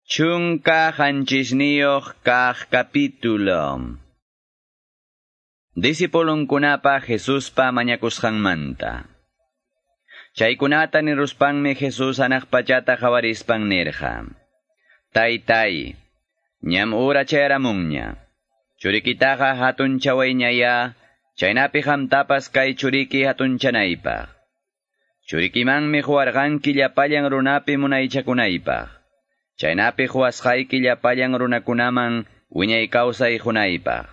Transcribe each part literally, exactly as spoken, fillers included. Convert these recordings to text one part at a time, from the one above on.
Chunka qanchisniyuq kaq capítulo. Discipulunkunapa Jesuspa mañakusqanmanta. Chaykunata niruspanmi Jesús hanaq pachata qawarispan nirqa: Taytay, ñam ura chayaramunña. Churikitaqa hatunchawayñaya, chaynapi qamtapas kay churiki hatunchanaypaq. Churikimanmi quwarqanki llapallan runapi munaychakunaypaq. Chaynapi quwasqayki llapallan runakunaman wiñay kawsay qunaypaq.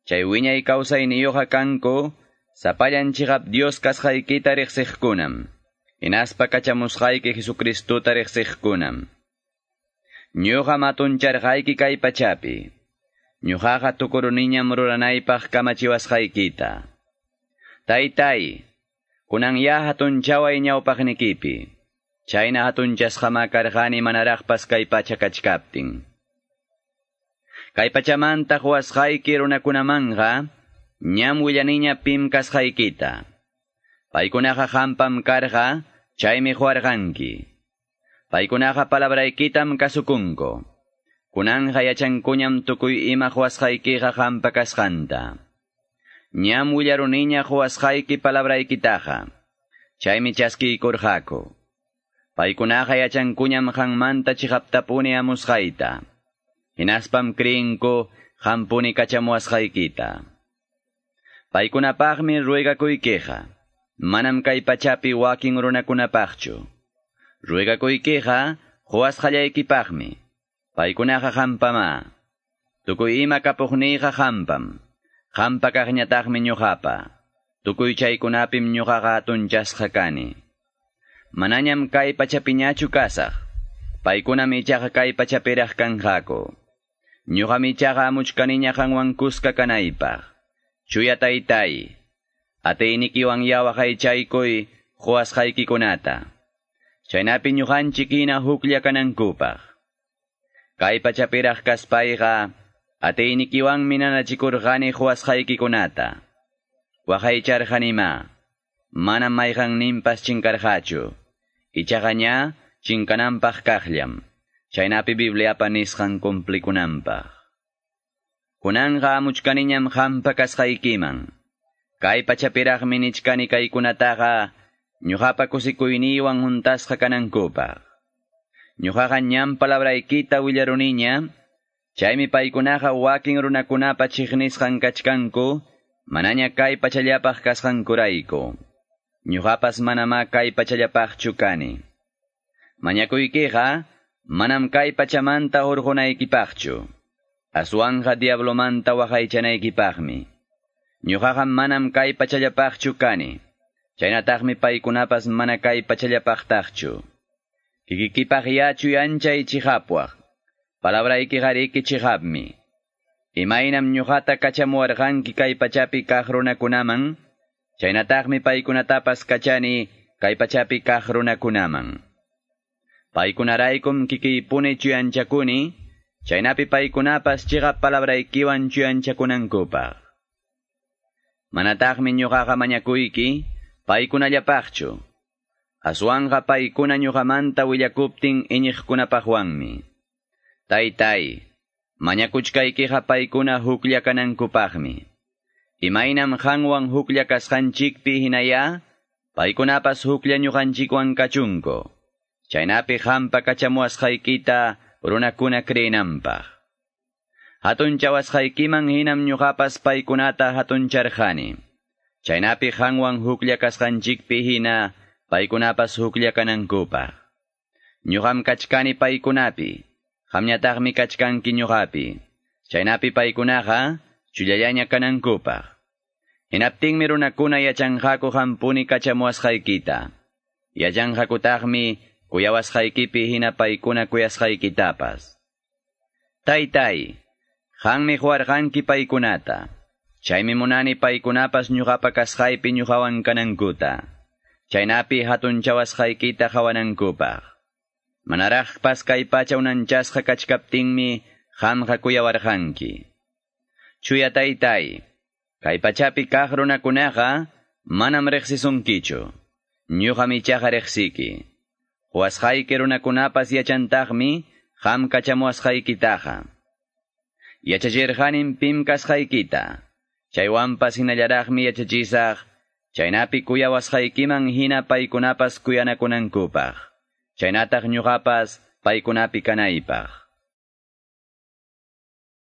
Chay wiñay kawsayniyuqqa kanku, sapallan chiqap Dios kasqaykita riqsiqkunam, hinaspa kachamusqayki Jesucristuta riqsiqkunam. Ñuqa matuncharqayki kay pachapi. Ñuqaqa tukuruniñam ruranaypaq kamachiwasqaykita. Taytay, kunan ya hatunchaway ñawpaqnikipi. Chayna hatunchasqama karqani manaraqpas kay pacha kachkaptin. Kay pachamanta quwasqayki runakunamanqa, ñam willaniña pim kasqaykita. Paykunaqa qampam karqa, chaymi quwarqanki. Paykunaqa palabraykitam kasukunku. Kunanqa yachankuñam tukuy ima quwasqaykiqa qampa kasqanta. Ñam willaruniña quwasqayki palabraykitaqa, chaymi chaskiykurqaku. Paykunaqa yachankuñam qanmanta chiqaptapuni amusqayta. Hinaspam creenku qampuni kachamuwasqaykita. Paykunapaqmi ruegakuykiqa, manam kay pachapi wakin runakunapaqchu. Ruegakuykiqa quwasqallaykipaqmi. Paykunaqa qampama. Tukuy ima kapuqniyqa qampam. Qampa kaqñataqmi ñuqapa. Tukuy chaykunapim ñuqaqa hatunchasqa kani. Manañam kay pachapiñachu kasaq. Paykunam ichaqa kay pachapiraq kanqaku. Ñuqam ichaqa amuchkaniña qanwan kuska kanaypaq. Chuya taytay, atiynikiwan yawaqaychaykuy quwasqaykikunata. Chaynapi ñuqanchik hina huklla kanankupaq. Kay pachapiraq kaspayqa, atiynikiwanmi nanachikurqani quwasqaykikunata. Waqaycharqanima, manam mayqanninpas chinkarqachu. Ichaqa ña chinkananpaq kaqllam, chaynapi Bibliapa nisqan cumplikunanpaq. Kunanqa amuchkaniñam qampa kasqaykiman. Kay pachapiraqmi nichkani kaykunataqa, ñuqapa kusikuyniywan huntasqa kanankupaq. Ñuqaqa ñam palabraykita willaruniña, chaymi paykunaqa wakin runakunapa chiqnisqan kachkanku, manaña kay pachallapaq kasqankurayku. Ñuqapas manamá kay pachallapaqchu kani. Mañakuykiqa manam kay pachamanta hurqunaykipaqchu, aswanqa diablomanta waqaychanaykipaqmi. Ñuqaqa manam kay pachallapaqchu kani, chaynataqmi paykunapas mana kay pachallapaqtaqchu. Kikikipaq yachuyanchay chiqapwaq, palabraykiqariki chiqapmi. Imaynam ñuqata kachamuwarqanki kay pachapi kaq runakunaman, chaynataqmi paykunatapas kachani kay pachapi kaq runakunaman. Paykunaraykum kikiypuni chuyanchakuni, chaynapi paykunapas chiqap palabraykiwan chuyanchakunankupaq. Manataqmi ñuqaqa mañakuyki paykunallapaqchu, aswanqa paykuna ñuqamanta willakuptin iñiqkunapaqwanmi. Taytay, mañakuchkaykiqa paykuna huklla kanankupaqmi. Imaynam qanwan huklla kasqanchikpi hinaya, paykunapas huklla ñuqanchikwan kachunku. Chaynapi qampa kachamuwasqaykita runakuna creenanpaq. Hatunchawasqaykiman hinam ñuqapas paykunata hatuncharqani. Chaynapi qanwan huklla kasqanchikpi hina, paykunapas huklla kanankupaq. Ñuqam kachkani paykunapi, qamñataqmi kachkanki ñuqapi. Chaynapi paykunaqa chullallaña kanankupaq. Hinaptinmi runakuna yachanqaku qampuni kachamuwasqaykita. Yachanqakutaqmi kuyawasqaykipi hina paykuna kuyasqaykitapas. Taytay, qanmi quwarqanki paykunata. Chaymi munani paykunapas ñuqapa kasqaypi ñuqawan kanankuta. Chaynapi hatunchawasqaykita qawanankupaq. Manaraqpas kay pacha unanchasqa kachkaptinmi qamqa kuyawarqanki. Chuya taytay, kay pachapi kaq runakunaqa manam riqsisunkichu. Ñuqam ichaqa riqsiki. Quwasqayki runakunapas yachantaqmi qam kachamuwasqaykitaqa. Yachachirqanim pim kasqaykita, chaywanpas hinallaraqmi yachachisaq, chaynapi kuyawasqaykiman hina paykunapas kuyanakunankupaq, chaynataq ñuqapas paykunapi kanaypaq.